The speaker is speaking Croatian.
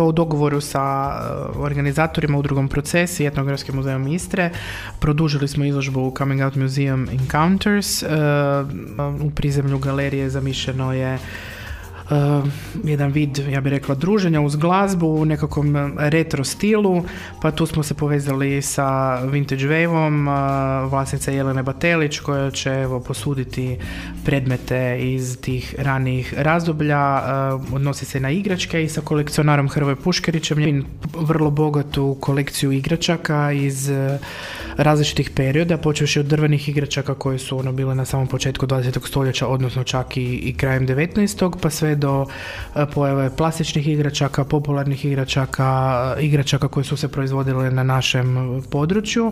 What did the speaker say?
U dogovoru sa organizatorima Udrugom Proces i Etnografskim muzejom Istre produžili smo izložbu Coming Out Museum Encounters. U prizemlju galerije zamišljeno je jedan vid, ja bih rekla, druženja uz glazbu u nekakvom retro stilu, pa tu smo se povezali sa Vintage Wave-om, vlasnica Jelene Batelić koja će posuditi predmete iz tih ranijih razdoblja, odnosi se na igračke, i sa kolekcionarom Hrvoje Puškarićem, vrlo bogatu kolekciju igračaka iz različitih perioda, počevši od drvenih igračaka koje su bile na samom početku 20. stoljeća, odnosno čak i krajem 19. pa sve do pojave plastičnih igračaka, popularnih igračaka koje su se proizvodile na našem području.